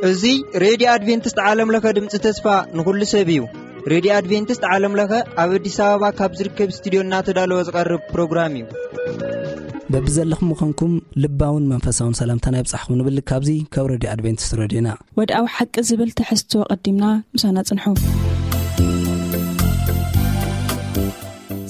እዚ ሬድዮ ኣድቬንቲስት ዓለም ለኸ ድምፂ ተስፋ ንኹሉ ሰብ እዩ። ሬድዮ ኣድቬንቲስት ዓለም ለኸ ኣብ ኣዲስ ኣበባ ካብ ዝርከብ ስቱዲዮ እናተዳለወ ዝቐርብ ፕሮግራም እዩ። በብዘለኹም ምዃንኩም ልባውን መንፈሳውን ሰላምታና ይብጻሕኩም ንብል ካብዚ ካብ ሬድዮ ኣድቬንቲስት ሬድዮና። ወድኣዊ ሓቂ ዝብል ትሕዝቶ ቀዲምና ምሳና ጽንሑ።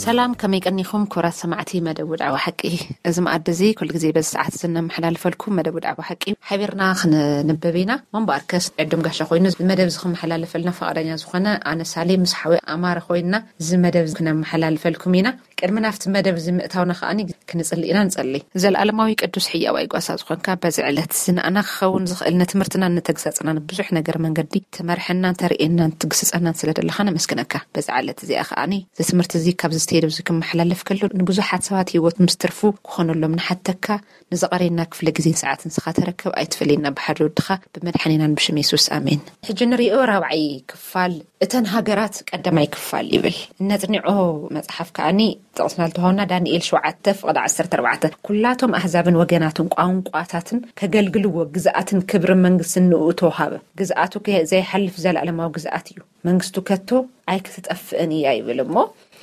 ሰላም፣ ከመይ ቀኒኹም ክቡራት ሰማዕቲ መደብ ወድዓዊ ሓቂ? እዚ መኣዲ እዚ ኩሉ ግዜ በዚ ሰዓት እዚ እነመሓላልፈልኩም መደብ ወድዓዊ ሓቂ ሓቢርና ክንንበብ ኢና። እምበኣርከስ ዕድም ጋሻ ኮይኑ እዚ መደብ እዚ ክመሓላለፈልና ፈቓደኛ ዝኾነ ኣነ ሳሌ ምስ ሓወይ ኣማረ ኮይንና እዚ መደብ እዚ ክነመሓላልፈልኩም ኢና። ቅድሚ ናብቲ መደብ እዚ ምእታውና ከኣ ክንጽሊ ኢና። ንጸሊ። ዘለኣለማዊ ቅዱስ ሕያዋይ ጓሳ ዝኾንካ በዚ ዕለት እዚ ንኣና ክኸውን ዝኽእል ንትምህርትናን ንተግሳጽናን ብዙሕ ነገር መንገዲ ትመርሐናን ተርእየናን ትግስጸናን ስለ ዘለኻ ነመስግነካ። በዚ ዕለት እዚኣ ከኣ እዚ ትምህርቲ እዚ ካብዚ ስተየድ እዚ ክመሓላለፍ ከሎ ንብዙሓት ሰባት ህይወት ምስ ትርፉ ክኾነሎም ንሓተካ። ንዝቐረየና ክፍለ ግዜን ሰዓትን ንስኻ ተረከብ፣ ኣይትፈለየና ብሓደ ወድኻ ብመድሓኒናን ብሽም የሱስ ኣሜን። ሕጂ ንሪኦ ራብዓይ ክፋል እተን ሃገራት ቀዳማይ ክፋል ይብል። እነጽኒዖ መጽሓፍ ከኣኒ ጥቕስና ልተዋውና ዳንኤል ሸውዓተ ፍቕዲ ዓሰርተ ኣርባዕተ ኩላቶም ኣህዛብን ወገናትን ቋንቋታትን ከገልግልዎ ግዝኣትን ክብርን መንግስትን ንኡ ተውሃበ። ግዝኣቱ ከ ዘይሓልፍ ዘለኣለማዊ ግዝኣት እዩ። መንግስቱ ከቶ ኣይክትጠፍእን እያ ይብል እሞ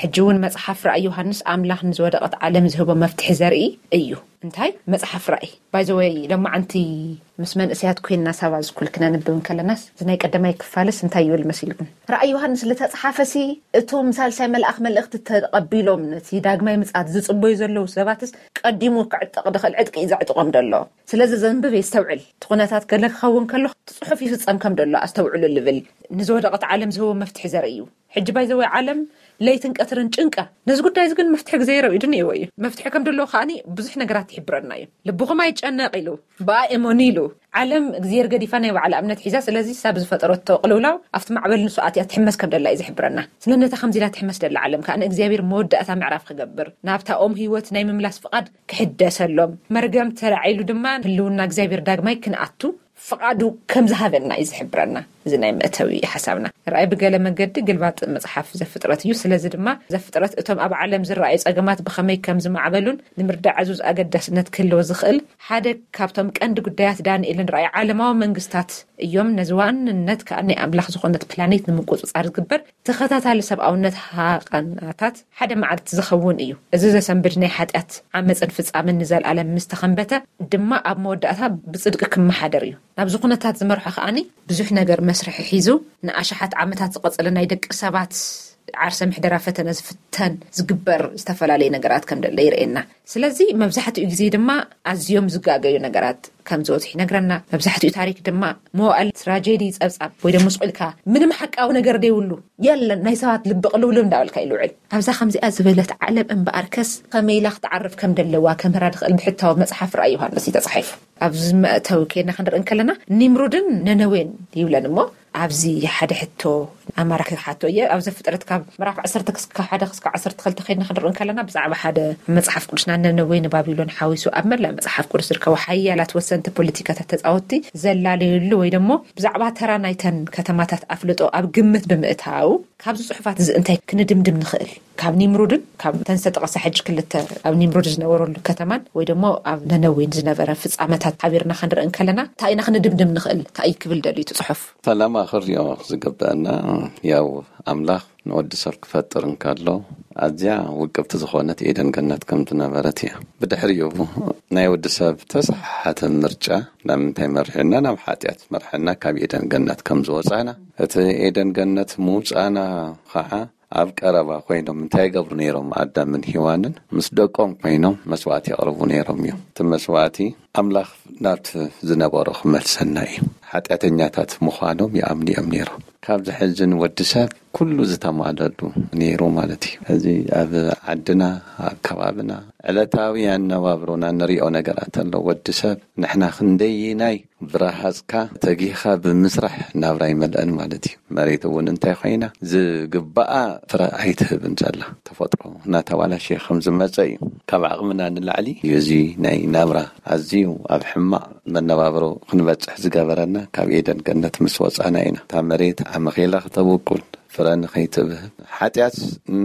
ሕጂ እውን መጽሓፍ ራእይ ዮሃንስ ኣምላኽ ንዝወደቐት ዓለም ዝህቦ መፍትሒ ዘርኢ እዩ። እንታይ መጽሓፍ ራእይ ባይዘወይ ለማዓንቲ ምስ መንእሰያት ኮይንና ሳባ ዝኩል ክነንብብ እንከለናስ እዚ ናይ ቀዳማይ ክፋልስ እንታይ ይብል መሲልኩም? ራእይ ዮሃንስ ዝተጽሓፈሲ እቶም ሳልሳይ መልኣኽ መልእኽቲ ተቐቢሎም ነቲ ዳግማይ ምጽኣት ዝጽበዩ ዘለዉ ሰባትስ ቀዲሙ ክዕጠቕ ድኽእል ዕጥቂ እዩ ዘዕጥቖም ዘሎ። ስለዚ ዘንብብ የስተውዕል። እቲ ኩነታት ገለ ክኸውን ከሎ እቲ ጽሑፍ ይፍጸም ከም ዘሎ ኣስተውዕሉ ልብል ንዝወደቐት ዓለም ዝህቦ መፍትሒ ዘርኢ እዩ። ሕጂ ባይዘወይ ዓለም ለይትን ቀትርን ጭንቃ። ነዚ ጉዳይ እዚ ግን መፍትሒ ግዜ ረብኢዱ ነይዎ እዩ። መፍትሒ ከም ደለዎ ከኣኒ ብዙሕ ነገራት ይሕብረና እዩ። ልብኹም ኣይጨነቕ ኢሉ ብኣ እመኑ ኢሉ። ዓለም እግዚኣብሔር ገዲፋ ናይ ባዕላ እምነት ሒዛ። ስለዚ ሳብ ዝፈጠረቶ ቅልውላው ኣብቲ ማዕበል ንሱ ኣትያ ትሕመስ ከም ደላ እዩ ዝሕብረና። ስለ ነታ ከምዚ ኢላ ትሕመስ ደላ ዓለም ከኣ ንእግዚኣብሔር መወዳእታ ምዕራፍ ክገብር ናብታ ኦም ህይወት ናይ ምምላስ ፍቓድ ክሕደሰሎም መርገም ተላዒሉ ድማ ህልውና እግዚኣብሔር ዳግማይ ክንኣቱ ፍቓዱ ከም ዝሃበና እዩ ዝሕብረና። እዚ ናይ መእተዊ ሓሳብና ርኣይ ብገለ መገዲ ግልባጥ መጽሓፍ ዘፍጥረት እዩ። ስለዚ ድማ ዘፍጥረት እቶም ኣብ ዓለም ዝረኣዩ ጸገማት ብኸመይ ከም ዝማዕበሉን ንምርዳእ ዕዙዝ ኣገዳስነት ክህልዎ ዝኽእል ሓደ ካብቶም ቀንዲ ጉዳያት ዳንኤልን ርኣይ ዓለማዊ መንግስታት እዮም። ነዚ ዋንነት ከኣ ናይ ኣምላኽ ዝኾነት ፕላኔት ንምቁጽጻር ዝግበር ተኸታታሊ ሰብኣውነት ሃቐናታት ሓደ መዓልቲ ዝኸውን እዩ። እዚ ዘሰንብድ ናይ ሓጢኣት ዓመፅን ፍጻምን ንዘለኣለም ምስ ተኸንበተ ድማ ኣብ መወዳእታ ብጽድቂ ክመሓደር እዩ። ናብዚ ኩነታት ዝመርሖ ከኣኒ ብዙሕ ነገር መስርሒ ሒዙ ንኣሽሓት ዓመታት ዝቐጸለ ናይ ደቂ ሰባት ዓርሰ ምሕደራ ፈተነ ዝፍተን ዝግበር ዝተፈላለየ ነገራት ከም ደለ ይርእየና። ስለዚ መብዛሕትኡ ግዜ ድማ ኣዝዮም ዝጋገዩ ነገራት ከም ዝበዝሑ ይነግረና። መብዛሕትኡ ታሪክ ድማ መዋእል ትራጀዲ ጸብጻብ ወይ ደሞ ስቕ ኢልካ ምንም ሓቃዊ ነገር ደይብሉ የለን ናይ ሰባት ልቢ ቅልውልው እንዳበልካ ይልውዕል። ኣብዛ ከምዚኣ ዝበለት ዓለም እምበኣርከስ ከመይ ኢላ ክትዓርፍ ከም ደለዋ ከምህራ ድኽእል ብሕታዊ መጽሓፍ ራእይ ዮሃንስ እዩ ተጻሒፉ። ኣብዚ መእተዊ ከይና ክንርኢ እንከለና ኒምሩድን ነነዌን ይብለን እሞ ኣብዚ ሓደ ሕቶ ኣማራ ክሓቶ እየ። ኣብ ዘፍጥረት ካብ ምዕራፍ ዓሰርተ ክስካ ሓደ ክስካ ዓሰርተ ክልተ ከይድና ክንርኢ እንከለና ብዛዕባ ሓደ መጽሓፍ ቅዱስና ነነዌ ንባቢሎን ሓዊሱ ኣብ መላእ መጽሓፍ ቅዱስ ዝርከቡ ሓያላት ወሰንቲ ፖለቲካታት ተጻወትቲ ዘላለዩሉ ወይ ደሞ ብዛዕባ ተራ ናይተን ከተማታት ኣፍልጦ ኣብ ግምት ብምእታው ካብዚ ጽሑፋት እዚ እንታይ ክንድምድም ንኽእል? ካብ ኒምሩድን ካብ ተን ዝተጠቐሳ ሕጂ ክልተ ኣብ ኒምሩድ ዝነበረሉ ከተማን ወይ ደሞ ኣብ ነነዌን ዝነበረ ፍጻመታት ሓቢርና ክንርኢ እንከለና እንታይ ኢና ክንድምድም ንኽእል? እንታይ እዩ ክብል ደልዩ እቲ ጽሑፍ? ፈለማ ክሪኦ ዝግበአና ያው ኣምላኽ ንወዲ ሰብ ክፈጥር እንከሎ ኣዝያ ውቅብቲ ዝኾነት ኤደን ገነት ከም ዝነበረት እያ። ብድሕሪኡ ናይ ወዲ ሰብ ተሰሓሓተ ምርጫ ናብ ምንታይ መርሒና? ናብ ሓጢኣት መርሐና። ካብ ኤደን ገነት ከም ዝወጻና እቲ ኤደን ገነት ምውጻና ኸዓ ኣብ ቀረባ ኮይኖም እንታይ ይገብሩ ነይሮም? ኣዳምን ሄዋንን ምስ ደቆም ኮይኖም መስዋእቲ የቕርቡ ነይሮም እዮም። እቲ መስዋእቲ ኣምላኽ ናብቲ ዝነበሮ ክመልሰና እዩ። ሓጢኣተኛታት ምዃኖም ይኣምኑ እዮም ነይሮም። ካብ ዝሕዝን ወዲ ሰብ ኩሉ ዝተማለሉ ነይሩ ማለት እዩ። እዚ ኣብ ዓድና ኣብ ከባብና ዕለታዊ ኣነባብሮና ንሪኦ ነገራት ኣሎ። ወዲ ሰብ ንሕና ክንደይናይ ብረሃጽካ ተጊኻ ብምስራሕ ናብራ ይመልአን ማለት እዩ። መሬት እውን እንታይ ኮይና ዝግባኣ ፍረ ኣይትህብን ዘላ ተፈጥሮ እናተባላሸየ ከም ዝመጸ እዩ። ካብ ዓቕምና ንላዕሊ እዩ እዚ ናይ ናብራ ኣዝዩ ኣብ ሕማቕ መነባብሮ ክንበጽሕ ዝገበረና ካብ ኤደን ገነት ምስ ወጻና ኢና። እታ መሬት ኣመኼላ ክተብቁል ፍረ ንኸይትብህብ። ሓጢኣት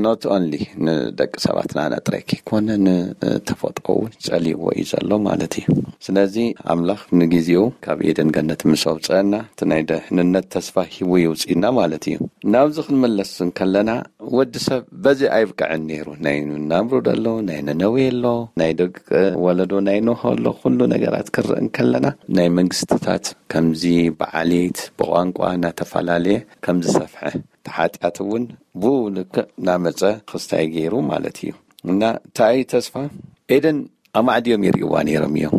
not only ንደቂ ሰባት ንኣና ጥራይ ከይኮነ ንተፈጥሮ እውን ጸልይዎ እዩ ዘሎ ማለት እዩ። ስለዚ ኣምላኽ ንግዜኡ ካብ ኤደን ገነት ምስ ኣውፀአና እቲ ናይ ደሕንነት ተስፋ ሂቡ ይውፅእና ማለት እዩ። ናብዚ ክንመለስ እንከለና ወዲ ሰብ በዚ ኣይብቅዕን ነይሩ። ናይ ናምሩድ ኣሎ፣ ናይ ነነዌ ኣሎ፣ ናይ ደቂ ወለዶ ናይ ኖህ ኣሎ። ኩሉ ነገራት ክርኢ እንከለና ናይ መንግስትታት ከምዚ ብዓሌት ብቋንቋ እናተፈላለየ ከምዚ ሰፍሐ ተሓጢኣት እውን ብኡ ልክዕ እናመፀ ክስታይ ገይሩ ማለት እዩ። እና እንታይ እዩ ተስፋ ኤደን ኣማዕድዮም ይርእይዋ ነይሮም እዮም።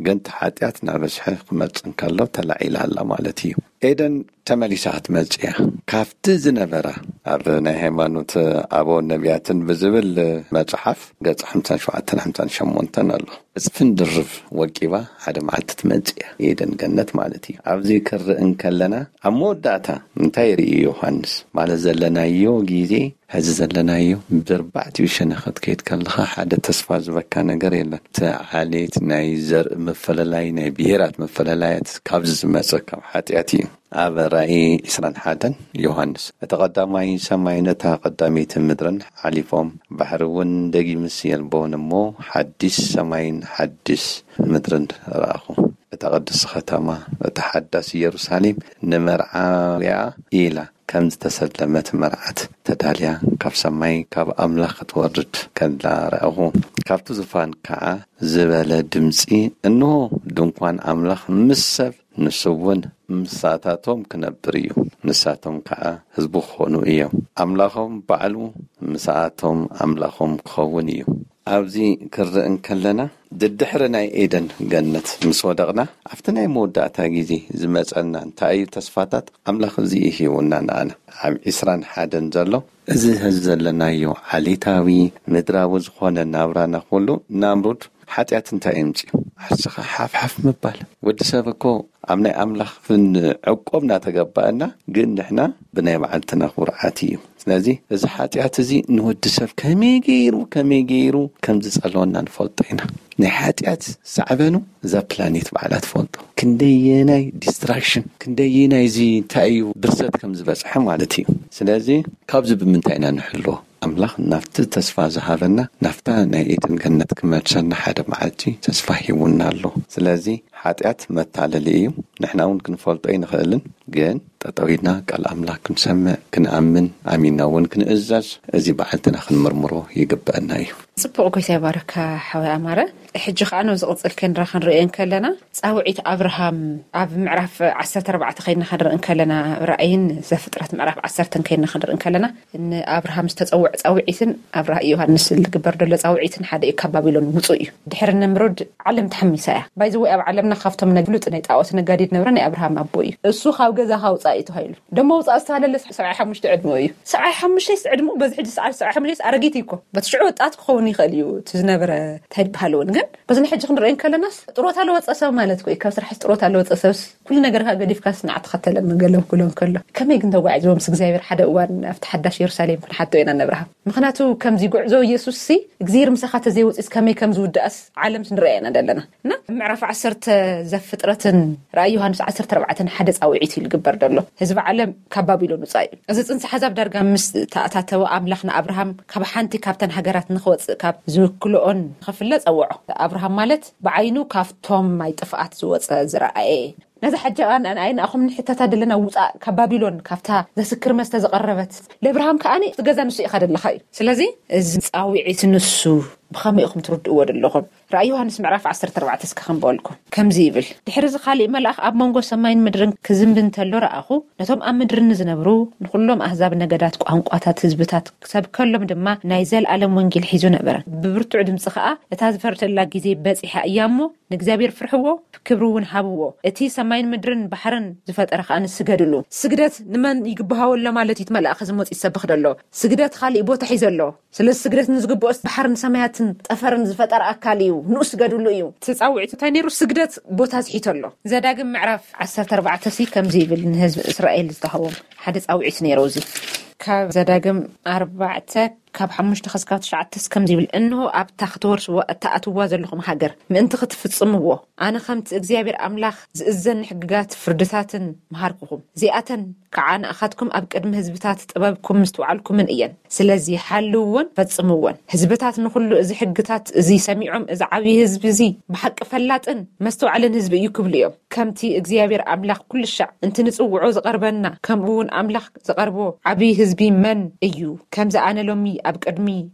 ግን ተሓጢኣት እናበዝሐ ክመፅእ እንከሎ ተላዒላ ኣላ ማለት እዩ። ኤደን ተመሊሳ ክትመፅእ እያ። ካብቲ ዝነበራ ኣብ ናይ ሃይማኖት ኣበው ነቢያትን ብዝብል መፅሓፍ ገፅ ሓምሳን ሸውዓተን ሓምሳን ሸሞንተን ኣሎ። እፅፍን ድርብ ወቂባ ሓደ መዓልቲ ትመፅእ እያ። ኤደን ገነት ማለት እዩ። ኣብዚ ክርኢ እንከለና ኣብ መወዳእታ እንታይ ይርኢ ዮሃንስ ማለት ዘለናዮ ግዜ ሕዚ ዘለናዮ ብርባዕቲኡ ሸነኸት ከይድ ከለኻ ሓደ ተስፋ ዝበካ ነገር የለን። እቲ ዓሌት ናይ ዘርኢ ምፍልላይ ናይ ብሄራት ምፍልላያት ካብዚ ዝመፀ ካብ ሓጢኣት እዩ። ኣብ ራእይ ዕስራን ሓደን ዮሃንስ እቲ ቀዳማይ ሰማይ ነታ ቀዳመይቲ ምድርን ሓሊፎም ባሕሪ እውን ደጊምስ የልቦን እሞ ሓዲስ ሰማይን ሓዲስ ምድርን ረኣኹ። እታ ቅድስቲ ከተማ እታ ሓዳስ ኢየሩሳሌም ንመርዓውያ ኢላ ከም ዝተሰለመት መርዓት ተዳልያ ካብ ሰማይ ካብ ኣምላኽ ክትወርድ ከላ ረኣኹ። ካብቲ ዙፋን ከዓ ዝበለ ድምፂ፣ እንሆ ድንኳን ኣምላኽ ምስ ሰብ፣ ንሱ እውን ምሳታቶም ክነብር እዩ፣ ንሳቶም ከዓ ህዝቡ ክኾኑ እዮም። ኣምላኾም ባዕሉ ምሳኣቶም ኣምላኾም ክኸውን እዩ። ኣብዚ ክርኢ እንከለና ድድሕሪ ናይ ኤደን ገነት ምስ ወደቕና ኣብቲ ናይ መወዳእታ ግዜ ዝመጸና እንታይ እዩ ተስፋታት ኣምላኽ እዚ ሂቡና ንኣና። ኣብ ዕስራን ሓደን ዘሎ እዚ ሐዚ ዘለናዮ ዓሌታዊ ምድራዊ ዝኾነ ናብራና ኩሉ ናምሩድ ሓጢኣት እንታይ የምፅኡ? ዓርስኻ ሓፍሓፍ ምባል። ወዲ ሰብ እኮ ኣብ ናይ ኣምላኽ ፍን ዕቆብ እናተገባእና ግን ንሕና ብናይ ባዕልትና ኩርዓት እዩ። ስለዚ እዚ ሓጢኣት እዚ ንወዲ ሰብ ከመይ ገይሩ ከመይ ገይሩ ከም ዝጸልወና ንፈልጦ ኢና። ናይ ሓጢኣት ሳዕበኑ እዛ ፕላኔት ባዕላ ትፈልጦ። ክንደየናይ ዲስትራክሽን ክንደየናይ እዚ እንታይ እዩ ብርሰት ከም ዝበጽሐ ማለት እዩ። ስለዚ ካብዚ ብምንታይ ኢና ንሕልዎ? ኣምላኽ ናብቲ ተስፋ ዝሃበና ናፍታ ናይ ኤደን ገነት ክመልሰና ሓደ መዓልቲ ተስፋ ሂቡና ኣሎ። ስለዚ ሓጢኣት መታለሊ እዩ። ንሕና እውን ክንፈልጦ ኣይንኽእልን፣ ግን ጠጠው ኢልና ቃል ኣምላኽ ክንሰምዕ፣ ክንኣምን፣ ኣሚንና እውን ክንእዘዝ እዚ በዓልትና ክንምርምሮ ይግበአና እዩ። ጽቡቕ፣ ጎይታ ይባረካ ሓወይ ኣማረ። ሕጂ ከኣ ነዚ ቅጽል ከንራ ክንርእዮ እንከለና ጻውዒት ኣብርሃም ኣብ ምዕራፍ ዓሰርተ ኣርባዕተ ከይድና ክንርኢ እንከለና ራእይን ዘፍጥረት ምዕራፍ ዓሰርተ ከይድና ክንርኢ እንከለና ንኣብርሃም ዝተጸውዕ ጻውዒትን ኣብ ራእይ ዮሃንስ ዝግበር ዘሎ ጻውዒትን ሓደ እዩ። ካብ ባቢሎን ውጹእ እዩ። ድሕሪ ንምሩድ ዓለም ተሓሚሳ እያ። ባይዘወይ ኣብ ዓለምና ካብቶም ናይ ፍሉጥ ናይ ጣዖት ነጋዲ ዝነበረ ናይ ኣብርሃም ኣቦ እዩ። እሱ ካብ ገዛ ካውጻእ እዩ ተባሂሉ። ደሞ ውጻእ ዝተባለለ ሰብዓይ ሓሙሽተ ዕድመ እዩ። ሰብዓይ ሓሙሽተ ዕድመ በዚ ሕጂ ሰዓት ሰብዓይ ሓሙሽተ ኣረጊት እዩ እኮ። በቲ ሽዑ ወጣት ክኸውን ይኽእል እዩ እቲ ዝነበረ እንታይ ይበሃል እውን። ግን በዚ ናይ ሕጂ ክንሪኦ እንከለናስ ጥሮታ ለወፀ ሰብ ማለት እኮ እዩ። ካብ ስራሕ ጥሮታ ለወፀ ሰብስ ኩሉ ነገርካ ገዲፍካ ስናዕ ተኸተለ መገሎም ክብሎም ከሎ ከመይ ግን ተጓዒዝዎም ምስ እግዚኣብሔር ሓደ እዋን ኣብቲ ሓዳሽ የሩሳሌም ክንሓቶ ኢና ነብርሃ። ምክንያቱ ከምዚ ጉዕዞ ኢየሱስ ሲ እግዚኣብሔር ምሳኻ ተዘይወፂስ ከመይ ከም ዝውዳእስ ዓለም ንሪኣ ኢና ዘለና። እና ምዕራፍ ዓሰርተ ዘፍጥረትን ራእይ ዮሃንስ ዓሰርተ ኣርባዕተን ሓደ ጻውዒት እዩ ዝግበር ዘሎ። ህዝቢ ዓለም ካብ ባቢሎን ውጻእ እዩ። እዚ ጽንሰ ሓሳብ ዳርጋ ምስ ተኣታተወ ኣምላኽ ንኣብርሃም ካብ ሓንቲ ካብተን ሃገራት ንኽወጽእ ካብ ዝውክልኦን ንኽፍለ ጸውዖ። ኣብርሃም ማለት ብዓይኑ ካብቶም ማይ ጥፍኣት ዝወጸ ዝረኣየ። ነዚ ሕጂ ኣን-፣ ኣን-፣ ኣይ ንኣኹም ንሕተታ ደለና ውጻእ ካብ ባቢሎን ካብታ ዘስክር መስተ ዝቐረበት። ለኣብርሃም ከኣኒ እቲ ገዛ ንሱ ኢኻ ደለኻ እዩ። ስለዚ እዚ ጻውዒት ንሱ ብኸመይ ኢኹም ትርድእዎ ደለኹም? ራእይ ዮሃንስ ምዕራፍ ዓሰርተ ኣርባዕተ እስከ ከንበልኩም። ከምዚ ይብል፣ ድሕሪ እዚ ካልእ መልኣኽ ኣብ መንጎ ሰማይን ምድርን ክዝንቢ እንተሎ ረኣኹ፣ ነቶም ኣብ ምድሪ ንዝነብሩ ንኹሎም ኣህዛብ፣ ነገዳት፣ ቋንቋታት፣ ህዝብታት ክሰብከሎም ድማ ናይ ዘለኣለም ወንጌል ሒዙ ነበረ። ብብርቱዕ ድምጺ ኸኣ፣ እታ ዝፈርደላ ግዜ በጺሓ እያ እሞ፣ ንእግዚኣብሔር ፍርሕዎ፣ ክብሪ እውን ሃብዎ። እቲ ሰማይን ምድርን ባሕርን ዝፈጠረ ኸኣ ንስገድሉ። ስግደት ንመን ይግብሃወሎ ማለት እዩ? እቲ መልኣኽ እዚ መጺኡ ዝሰብኽ ደሎ። ስግደት ኻሊእ ቦታ ሒዘ ኣሎ። ስለዚ ስግደት ንዝግብኦ ባሕርን ሰማያትን ጠፈርን ዝፈጠረ ኣካል እዩ፣ ንኡ ስገድሉ እዩ። እቲ ጻውዒት እንታይ ነይሩ? ስግደት ቦታ ዝሒቶ ኣሎ። ዘዳግም ምዕራፍ ዓሰርተ ኣርባዕተ ሲ ከምዚ ይብል ንህዝቢ እስራኤል ዝተሃቦም ሓደ ጻውዒት ነይሩ። እዚ ካብ ዘዳግም ኣርባዕተ ካብ ሓሙሽተ ክስካብ ትሽዓተስ ከምዚ ይብል፣ "እንሆ ኣብታ ክትወርስዎ እተኣትዋ ዘለኹም ሃገር ምእንቲ ክትፍጽምዎ፣ ኣነ ከምቲ እግዚኣብሔር ኣምላኽ ዝእዘኒ ሕግጋት ፍርድታትን መሃርኩኹም። እዚኣተን ከዓ ንኣኻትኩም ኣብ ቅድሚ ህዝብታት ጥበብኩም ምስትውዓልኩምን እየን። ስለዚ ሓልውዎን ፈጽምዎን። ህዝብታት ንኹሉ እዚ ሕግታት እዚ ሰሚዖም፣ እዚ ዓብዪ ህዝቢ እዚ ብሓቂ ፈላጥን መስተውዓልን ህዝቢ እዩ ክብሉ እዮም። ከምቲ እግዚኣብሔር ኣምላኽ ኩሉ ሻዕ እንትንጽውዖ ዝቐርበና፣ ከምኡ እውን ኣምላኽ ዝቐርቦ ዓብዪ ህዝቢ መን እዩ? ከምዚ ኣነ ሎሚ ኣብ ቅድሚ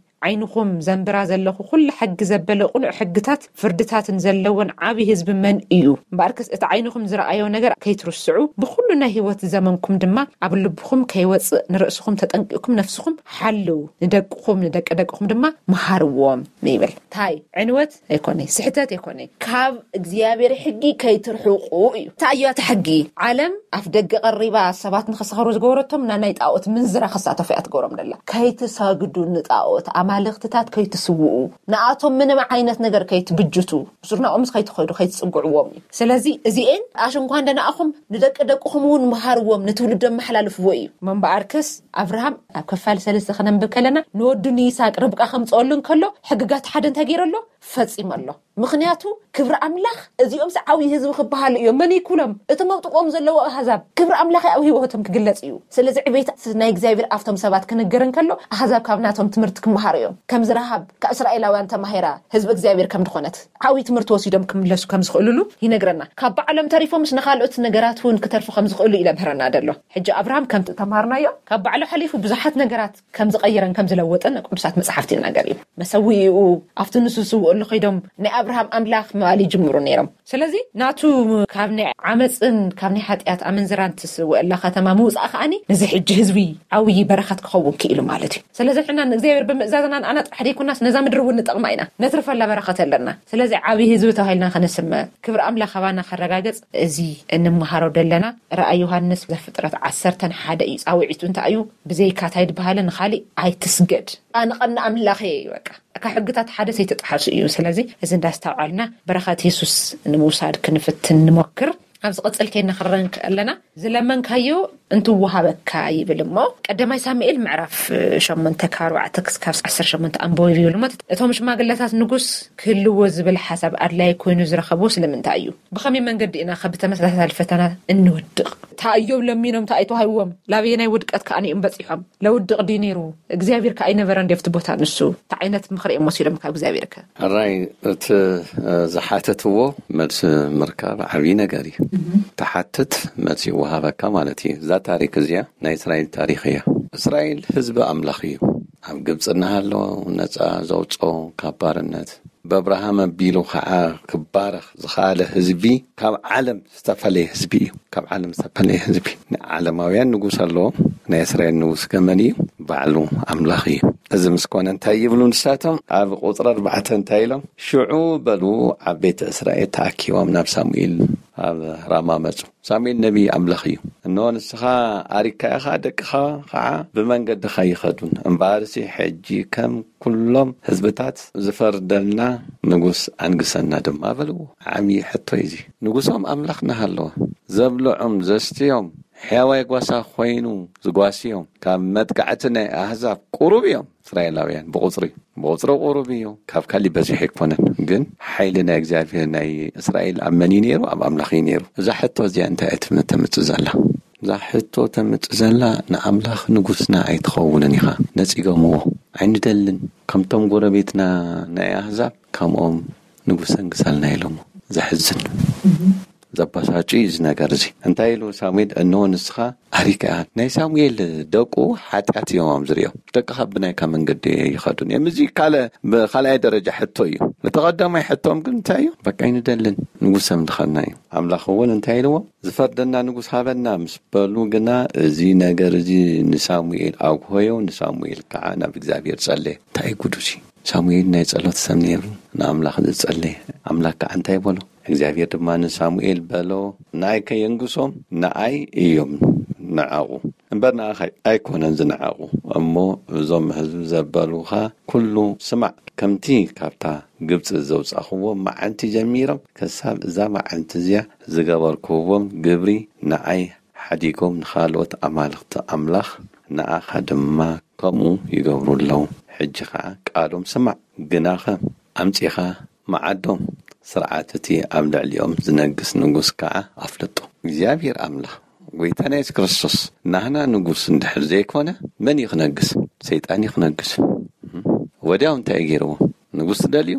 ዓይንኹም ዘንብራ ዘለኹ ኩሉ ሕጊ ዘበለ ቅኑዕ ሕግታት ፍርድታትን ዘለዎን ዓብዪ ህዝቢ መን እዩ? እምበኣርከስ እቲ ዓይንኹም ዝረኣዮ ነገር ከይትርስዑ፣ ብኹሉ ናይ ህይወት ዘመንኩም ድማ ኣብ ልብኹም ከይወጽእ ንርእስኹም ተጠንቂቕኩም ነፍስኹም ሓልው፣ ንደቅኹም ንደቂ ደቅኹም ድማ መሃርዎም" ይብል። ታይ ዕንወት ኣይኮነይ፣ ስሕተት ኣይኮነይ፣ ካብ እግዚኣብሔር ሕጊ ከይትርሕቁ እዩ። እንታይ እያ እቲ ሕጊ? ዓለም ኣፍ ደገ ቀሪባ ሰባት ንኸሰኸሩ ዝገበረቶም፣ ና ናይ ጣዖት ምንዝራ ክሳተፉ እያ ትገብሮም ደላ። "ከይትሰግዱ ንጣዖት ኣማልኽትታት ከይትስውኡ፣ ንኣቶም ምንም ዓይነት ነገር ከይትብጅቱ፣ ብስርናኦምስ ከይትኸዱ ከይትጽግዕዎም" እዩ። ስለዚ እዚኤን ኣሽ እንኳ እንደነኣኹም ንደቂ ደቅኹም እውን መሃርዎም፣ ንትውልዶም መሓላልፍዎ እዩ። እሞ እምበኣርከስ ኣብርሃም ኣብ ክፋል ሰለስተ ከነንብብ ከለና፣ ንወዱ ንይስሐቅ ርብቃ ከምጽኦሉ እንከሎ፣ ሕግጋት ሓደ እንታይ ገይረሎ? ፈጺመሎ። ምኽንያቱ ክብሪ ኣምላኽ፣ እዚኦምስ ዓብዪ ህዝቢ ክበሃሉ እዮም። መን ይኩሎም? እቲ መውጥቆም ዘለዎ ኣህዛብ። ክብሪ ኣምላኽ ኣብ ህይወቶም ክግለጽ እዩ። ስለዚ ዕቤት ናይ እግዚኣብሔር ኣብቶም ሰባት ክንገር እንከሎ፣ ኣህዛብ ካብ ናቶም ትምህርቲ ክመሃሩ እዮም። ከምዚ ረሃብ ካብ እስራኤላውያን ተማሂራ ህዝቢ እግዚኣብሔር ከም ዝኾነት፣ ዓብዪ ትምህርቲ ወሲዶም ክምለሱ ከም ዝኽእሉሉ ይነግረና። ካብ ባዕሎም ተሪፎምስ ንኻልኦት ነገራት እውን ክተርፉ ከም ዝኽእሉ ይነብረና ደሎ። ሕጂ ኣብርሃም ከምቲ ተማሃርናዮ፣ ካብ ባዕሉ ሓሊፉ ብዙሓት ነገራት ከም ዝቐየረን ከም ዝለወጠን ቅዱሳት መጽሓፍቲ ይናገር እዩ። መሰዊኡ ኣብቲ ንሱ ዝስውእሉ ከይዶም፣ ናይ ኣብርሃም ኣምላኽ ምባል ይጅምሩ ነይሮም። ስለዚ ናቱ ካብ ናይ ዓመፅን ካብ ናይ ሓጢኣት ኣመንዝራን ትስውእላ ከተማ ምውፃእ ከኣኒ፣ ነዚ ሕጂ ህዝቢ ዓብዪ በረኸት ክኸውን ክኢሉ ማለት እዩ። ስለዚ ንሕና ንእግዚኣብሔር ብምእዛዝና ንኣና ጥራሕ ደይኮናስ ነዛ ምድሪ እውን ንጠቕማ ኢና፣ ነትርፈላ በረኸት ኣለና። ስለዚ ዓብዪ ህዝቢ ተባሂልና ከነስመ፣ ክብሪ ኣምላኽ ኣባና ከረጋገጽ፣ እዚ እንመሃሮ ደለና ራእይ ዮሃንስ ዘፍጥረት ዓሰርተን ሓደ እዩ። ጻውዒቱ እንታይ እዩ? ብዘይካ እንታይ ድበሃለ ንኻሊእ ኣይትስገድ። ኣነ ቀና ኣምላኽ እየ እዩ፣ በቃ። ካብ ሕግታት ሓደ ዘይተጣሓሱ እዩ። ስለዚ እዚ እንዳስተውዓልና በረኸት የሱስ ንምውሳድ ክንፍትን ንሞክር። ኣብ ዝቕጽል ከይና ክረን ከለና፣ "ዝለመንካዮ እንትወሃበካ" ይብል እሞ፣ ቀዳማይ ሳሙኤል ምዕራፍ ሸሞንተ ካብ ኣርባዕተ ክሳብ ዓሰርተ ሸሞንተ ኣንብቦ ይብል እሞ፣ እቶም ሽማግለታት ንጉስ ክህልዎ ዝብል ሓሳብ ኣድላይ ኮይኑ ዝረኸብዎ ስለምንታይ እዩ? ብኸመይ መንገዲ ኢና ካብ ተመሳሳሊ ፈተና እንወድቕ? እንታይ እዮም ለሚኖም፣ እንታይ ተዋሂብዎም? ላበየናይ ውድቀት ከኣ እዮም በጺሖም? ለውድቕ ድዩ ነይሩ? እግዚኣብሔር ከኣ ኣይነበረን ድዮ ኣብቲ ቦታ ንሱ? እንታይ ዓይነት ምኽሪ እዮም ወሲዶም ካብ እግዚኣብሔር ከ? ሕራይ፣ እቲ፣ እ፣ ዝሓተትዎ መልሲ ምርካብ ዓብዪ ነገር እዩ። ትሓትት፣ መልሲ ይወሃበካ ማለት እዩ። እዛ ታሪክ እዚኣ ናይ እስራኤል ታሪክ እያ። እስራኤል ህዝቢ ኣምላኽ እዩ። ኣብ ግብፂ እናሃለወ ነፃ ዘውፅኦ ካብ ባርነት፣ ብኣብርሃም ኣቢሉ ከዓ ክባረኽ ዝኸኣለ ህዝቢ፣ ካብ ዓለም ዝተፈለየ ህዝቢ እዩ። ካብ ዓለም ዝተፈለየ ህዝቢ። ንዓለማውያን ንጉስ ኣለዎም። ናይ እስራኤል ንጉስ ከ መን እዩ? ባዕሉ ኣምላኽ እዩ። እዚ ምስ ኮነ እንታይ ይብሉ ንሳቶም? ኣብ ቁፅሪ ኣርባዕተ እንታይ ኢሎም? "ሽዑ በሉ ዓበይቲ እስራኤል ተኣኪቦም ናብ ሳሙኤል ኣብ ራማ መጹ። ሳሙኤል ነቢይ ኣምላኽ እዩ። እንሆ ንስኻ ኣሪግካ ኢኻ፣ ደቅኻ ኸዓ ብመንገድኻ ይኸዱን። እምበኣርሲ ሕጂ ከም ኩሎም ህዝብታት ዝፈርደልና ንጉስ ኣንግሰና ድማ" በልዎ። ዓብዪ ሕቶ እዩ እዚ። ንጉሶም ኣምላኽ እናሃለወ፣ ዘብልዖም ዘስትዮም፣ ሕያዋይ ጓሳ ኮይኑ ዝጓስዮም፣ ካብ መጥቃዕቲ ናይ ኣህዛብ ቁሩብ እዮም። እስራኤላውያን ብቑጽሪ፣ ብቑጽሪ ቁሩብ እዩ። ካብ ካሊእ በዚሑ ኣይኮነን። ግን ሓይሊ ናይ እግዚኣብሔር ናይ እስራኤል ኣብ መን እዩ ነይሩ? ኣብ ኣምላኽ እዩ ነይሩ። እዛ ሕቶ እዚኣ እንታይ እያ ትም-፣ ተምጽእ ዘላ? እዛ ሕቶ ተምጽእ ዘላ፣ ንኣምላኽ ንጉስና ኣይትኸውንን ኢኻ። ነጺጎምዎ። ኣይንደልን። ከምቶም ጎረቤትና ናይ ኣህዛብ፣ ከምኦም ንጉስ ኣንግሳልና ኢሎሞ። ዘሕዝን። ዘባሳጩ እዩ እዚ ነገር እዚ። እንታይ ኢሉ ሳሙኤል? እንሆ ንስኻ ኣሪካ ኢኻ። ናይ ሳሙኤል ደቁ ሓጢኣት እዮም ኣብ ዝሪኦም። ደቅኻ ብናይካ መንገዲ ይኸዱን እዮም። እዚ ካልእ፣ ብኻልኣይ ደረጃ ሕቶ እዩ። እቲ ቀዳማይ ሕቶም ግን እንታይ እዩ? በቃ ኣይንደልን፣ ንጉስ ኣምልኸና እዩ። ኣምላኽ እውን እንታይ ኢልዎ? ዝፈርደና ንጉስ ሃበና ምስ በሉ ግና፣ እዚ ነገር እዚ ንሳሙኤል ኣጉሆዮ። ንሳሙኤል ከዓ ናብ እግዚኣብሔር ጸለየ። እንታይ ጉዱ እዚ? ሳሙኤል ናይ ጸሎት ሰብ ነይሩ፣ ንኣምላኽ ዝጸለየ። ኣምላኽ ከዓ እንታይ በሎ? እግዚኣብሔር ድማ ንሳሙኤል በሎ፣ "ንኣይ ከየንግሶም ንኣይ እዮም ንዓቑ፣ እምበር ንኣኻ ኣይኮነን ዝንዓቑ። እሞ እዞም ህዝቢ ዘበሉኻ ኩሉ ስማዕ፣ ከምቲ ካብታ ግብጺ ዘውጻእኽዎም መዓልቲ ጀሚሮም ክሳብ እዛ መዓልቲ እዚኣ ዝገበርክዎም ግብሪ ንኣይ ሓዲጎም ንኻልኦት ኣማልኽቲ ኣምላኽ ንኣኻ ድማ ከምኡ ይገብሩ ኣለዉ። ሕጂ ኸዓ ቃሎም ስማዕ። ግናኸ ኣምጺኻ መዓዶም፣ ስርዓት እቲ ኣብ ልዕሊኦም ዝነግስ ንጉስ ከዓ ኣፍልጦ። እግዚኣብሔር ኣምላኽ ጎይታና የሱስ ክርስቶስ ናህና ንጉስ እንድሕር ዘይኮነ፣ መን እዩ ክነግስ? ሰይጣን እዩ ክነግስ። ወዲያው እንታይ ገይርዎ? ንጉስ ትደልዩ?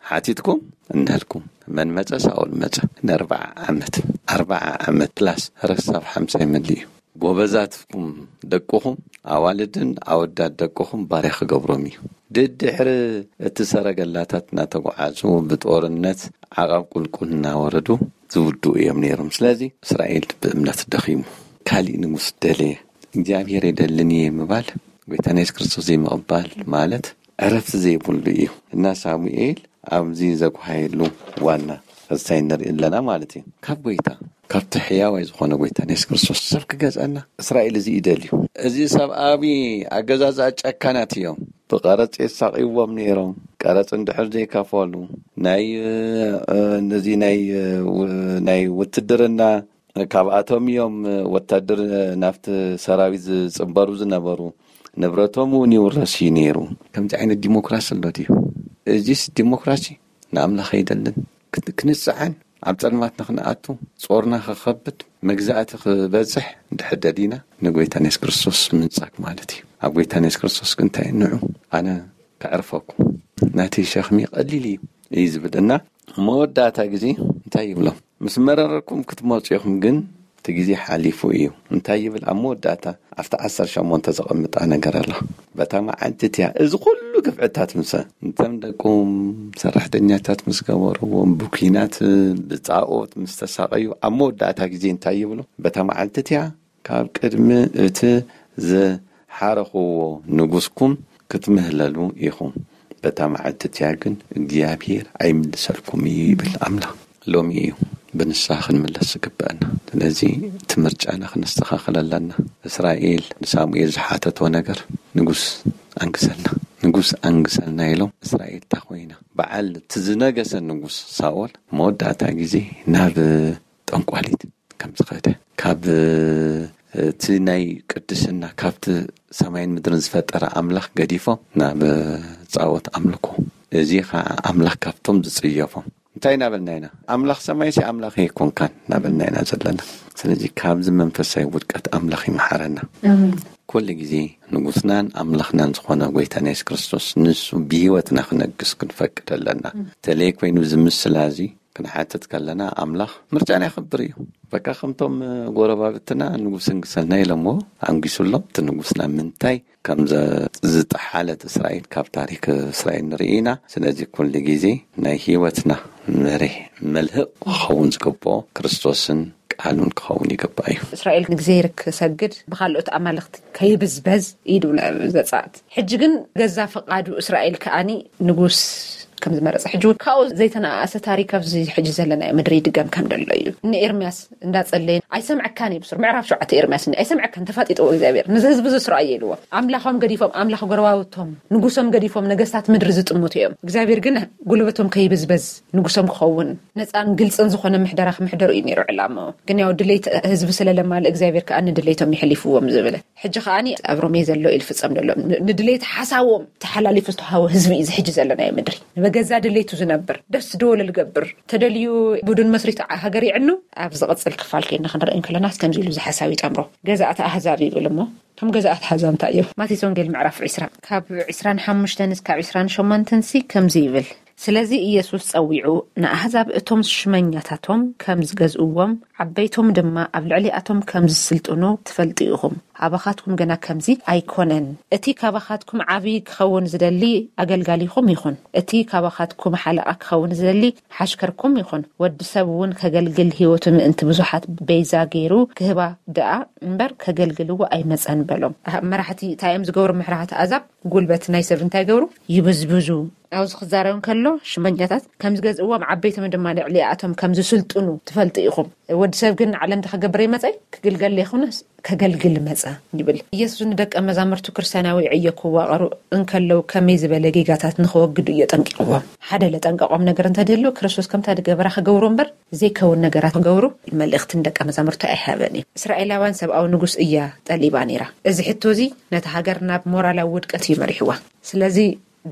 ሓቲትኩም እንሀልኩም። መን መጸ? ሳኦል መጸ። ንኣርብዓ ዓመት፣ ኣርብዓ ዓመት ፕላስ ረሳብ ሓምሳ ይመልእ እዩ። ጎበዛትኩም ደቅኹም፣ ኣዋልድን ኣወዳት ደቅኹም ባርያ ክገብሮም እዩ። ድድሕሪ እቲ ሰረገላታት እናተጓዓዙ ብጦርነት ዓቐብ ቁልቁል እናወረዱ ዝውድኡ እዮም ነይሮም። ስለዚ እስራኤል ብእምነት ደኺሙ። ካሊእ ንጉስ ደለየ። እግዚኣብሔር የደልን እየ ምባል፣ ጎይታና የሱስ ክርስቶስ ዘይምቕባል ማለት ዕረፍቲ ዘይብሉ እዩ። እና ሳሙኤል ኣብዚ ዘጉሃየሉ ዋና ክስታይ ንርኢ ኣለና ማለት እዩ። ካብ ጎይታ፣ ካብቲ ሕያዋይ ዝኾነ ጎይታ የሱስ ክርስቶስ ሰብ ክገዝአና እስራኤል እዚ ይደልዩ። እዚ ሰብ ኣብ ኣገዛዝኣ ጨካናት እዮም። ብቀረጽ የሳቕይዎም ነይሮም። ቀረጽ እንድሕር ዘይከፈሉ፣ ናይ፣ እ፣ ነዚ ናይ፣ እ፣ ው-፣ ናይ ውትድርና ካብኣቶም እዮም ወታደር ናብቲ ሰራዊት ዝጽንበሩ ዝነበሩ። ንብረቶም እውን ይውረስ እዩ ነይሩ። ከምዚ ዓይነት ዲሞክራሲ ኣሎ ድዩ? እዚስ ዲሞክራሲ ንኣምላኽ ኣይደልን። ክን-፣ ክንጽዓን፣ ኣብ ጸልማት ንኽንኣቱ፣ ጾርና ክኸብድ፣ መግዛእቲ ክበዝሕ እንድሕር ደሊና፣ ንጎይታ የሱስ ክርስቶስ ምንጻግ ማለት እዩ። ኣብ ጎይታ የሱስ ክርስቶስ ግን እንታይ ንዑ፣ ኣነ ከዕርፈኩም፣ ናተይ ሸኽሚ ቀሊል እዩ፣ እዩ ዝብል። እና መወዳእታ ግዜ እንታይ ይብሎም? ምስ መረረኩም ክትመጹ ኢኹም፣ ግን እቲ ግዜ ሓሊፉ እዩ። እንታይ ይብል? ኣብ መወዳእታ ኣብቲ ዓሰርተ ሸሞንተ ዘቐምጣ ነገር ኣሎ። በታ መዓልቲ እቲኣ እዚ ኩሉ ግፍዕታት ምስ፣ እንተም ደቁም ሰራሕተኛታት ምስ ገበርዎም፣ ብኲናት ብጣኦት ምስ ተሳቐዩ፣ ኣብ መወዳእታ ግዜ እንታይ ይብሉ? በታ መዓልቲ እቲኣ ካብ ቅድሚ እቲ ዝሓረኽዎ ንጉስኩም ክትምህለሉ ኢኹም። በታ መዓልቲ እቲኣ ግን እግዚኣብሔር ኣይምልሰልኩም እዩ ይብል ኣምላኽ። ሎሚ እዩ ብንስሓ ክንምለስ ዝግበአና። ስለዚ እቲ ምርጫና ክነስተኻኽል ኣለና። እስራኤል ንሳሙኤል ዝሓተቶ ነገር፣ "ንጉስ ኣንግሰልና፣ ንጉስ ኣንግሰልና" ኢሎም። እስራኤል እታ ኮይና፣ በዓል እቲ ዝነገሰ ንጉስ ሳኦል መወዳእታ ግዜ ናብ ጠንቋሊት ከም ዝኸደ፣ ካብ እቲ ናይ ቅድስና፣ ካብቲ ሰማይን ምድርን ዝፈጠረ ኣምላኽ ገዲፎም ናብ ጻኦት ኣምልኮ፣ እዚ ኸዓ ኣምላኽ ካብቶም ዝጽየፎም። እንታይ እናበልና ኢና? ኣምላኽ ሰማይሲ ኣምላኽ ኣይኮንካን እናበልና ኢና ዘለና። ስለዚ ካብዚ መንፈሳዊ ውድቀት ኣምላኽ ይምሓረና። ኣሜን። ኩሉ ግዜ ንጉስናን ኣምላኽናን ዝኾነ ጎይታና የሱስ ክርስቶስ ንሱ ብህይወትና ክነግስ ክንፈቅድ ኣለና። ተለይ ኮይኑ እዚ ምስላ እዚ ክንሓትት ከለና ኣምላኽ ምርጫና የኽብር እዩ። በቃ ከምቶም ጎረባብትና ንጉስ እንግሰልና ኢሎምዎ፣ ኣንጊሱ ኣሎ። እቲ ንጉስና ምንታይ ከም ዘ-፣ ዝጠሓለት እስራኤል ካብ ታሪክ እስራኤል ንርኢ ኢና። ስለዚ ኩሉ ግዜ ናይ ህይወትና መሪሕ መልህቕ ክኸውን ዝግብኦ ክርስቶስን ቃሉን ክኸውን ይግባእ እዩ። እስራኤል ንእግዚኣብሔር ክሰግድ ብኻልኦት ኣማልኽቲ ከይብዝበዝ እዩ ድብል ዘጸኣት። ሕጂ ግን ገዛ ፈቓዱ እስራኤል ከኣኒ ንጉስ ከም ዝመረጸ፣ ሕጂ እውን ካብኡ ዘይተነኣኣሰ ታሪክ ኣብዚ ሕጂ ዘለናዮ ምድሪ ይድገም ከም ደሎ እዩ። ንኤርምያስ እንዳጸለየ፣ "ኣይሰምዐካን እዩ ብሱር፣ ምዕራፍ ሸውዓተ ኤርምያስ፣ እኒ ኣይሰምዐካን፣ ተፋጢጥዎ እግዚኣብሔር፣ ነዚ ህዝቢ እዚ ስርኣዮ" ኢልዎ። ኣምላኾም ገዲፎም፣ ኣምላኽ ጎረባብቶም፣ ንጉሶም ገዲፎም፣ ነገስታት ምድሪ ዝጥምቱ እዮም። እግዚኣብሔር ግን ጉልበቶም ከይብዝበዝ፣ ንጉሶም ክኸውን፣ ነጻን ግልጽን ዝኾነ ምሕደራ ክምሕደሩ እዩ ነይሩ ዕላምኡ። ግን ያው ድሌት ህዝቢ ስለለማለ፣ እግዚኣብሔር ከኣ ንድሌቶም ይሕሊፍዎም ዝብለ። ሕጂ ከኣኒ ኣብ ሮሜ ዘሎ ኢሉ ፍጸም ደሎ። ን-፣ ንድሌት ሓሳቦም ተሓላሊፉ ዝተዋህቦ ህዝቢ እዩ እዚ ሕጂ ዘለናዮ ምድሪ። ንበገዛ ድሌቱ ዝነብር፣ ደስ ዝበሎ ዝገብር፣ ተደልዩ ቡድን መስሪቱ ዓ-፣ ሃገር ይዕኑ። ኣብ ዝቕጽል ክፋል ኮይና ክንርኢ እንከለናስ ከምዚ ኢሉ እዚ ሓሳብ ይጠምሮ። ገዛእቲ ኣህዛብ ይብል እሞ፣ እቶም ገዛእቲ ኣህዛብ እንታይ እዮም? ማቴዎስ ወንጌል ምዕራፍ ዕስራ ካብ ዕስራን ሓሙሽተን እስካብ ዕስራን ሸሞንተን ሲ ከምዚ ይብል። ስለዚ ኢየሱስ ጸዊዑ፣ ንኣህዛብ እቶም ሽመኛታቶም ከም ዝገዝእዎም፣ ዓበይቶም ድማ ኣብ ልዕሊኣቶም ከም ዝስልጥኑ ትፈልጡ ኢኹም። ኣባኻትኩም ግና ከምዚ ኣይኮነን። እቲ ካባኻትኩም ዓቢ ክኸውን ዝደሊ ኣገልጋሊኹም ይኹን። እቲ ካባኻትኩም ሓለቓ ክኸውን ዝደሊ ሓሽከርኩም ይኹን። ወዲ ሰብ እውን ከገልግል፣ ህይወቱ ምእንቲ ብዙሓት በይዛ ገይሩ ክህባ ደኣ እምበር፣ ከገልግልዎ ኣይመጸን በሎም። ኣህ፣ መራሕቲ እንታይ እዮም ዝገብሩ? መራሕቲ ኣህዛብ ጉልበት ናይ ሰብ እንታይ ገብሩ? ይብዝብዙ። ኣብዚ ክዛረብ ከሎ ሽመኛታት ከም ዝገዝእዎም ዓበይቶም ድማ ልዕሊኣቶም ከም ዝስልጥኑ ትፈልጡ ኢኹም። ወዲ ሰብ ግን ዓለም ክገብር ይመጸይ ክግልገል ይኹንስ ከገልግል መጸ ይብል። ኢየሱስ ንደቀ መዛሙርቱ ክርስቲያናዊ ዕዮ ክዋቐሩ እንከለዉ ከመይ ዝበለ ጌጋታት ንኸወግዱ እዮ ጠንቂቕዎም። ሓደ ለጠንቀቖም ነገር እንተደሎ ክርስቶስ ከምታ ዝገበራ ክገብሩ እምበር ዘይከውን ነገራት ክገብሩ መልእኽቲ ንደቀ መዛሙርቱ ኣይሃበን እዩ። እስራኤላውያን ሰብኣዊ ንጉስ እያ ጠሊባ ነይራ። እዚ ሕቶ እዚ ነታ ሃገር ናብ ሞራላዊ ውድቀት እዩ መሪሕዋ። ስለዚ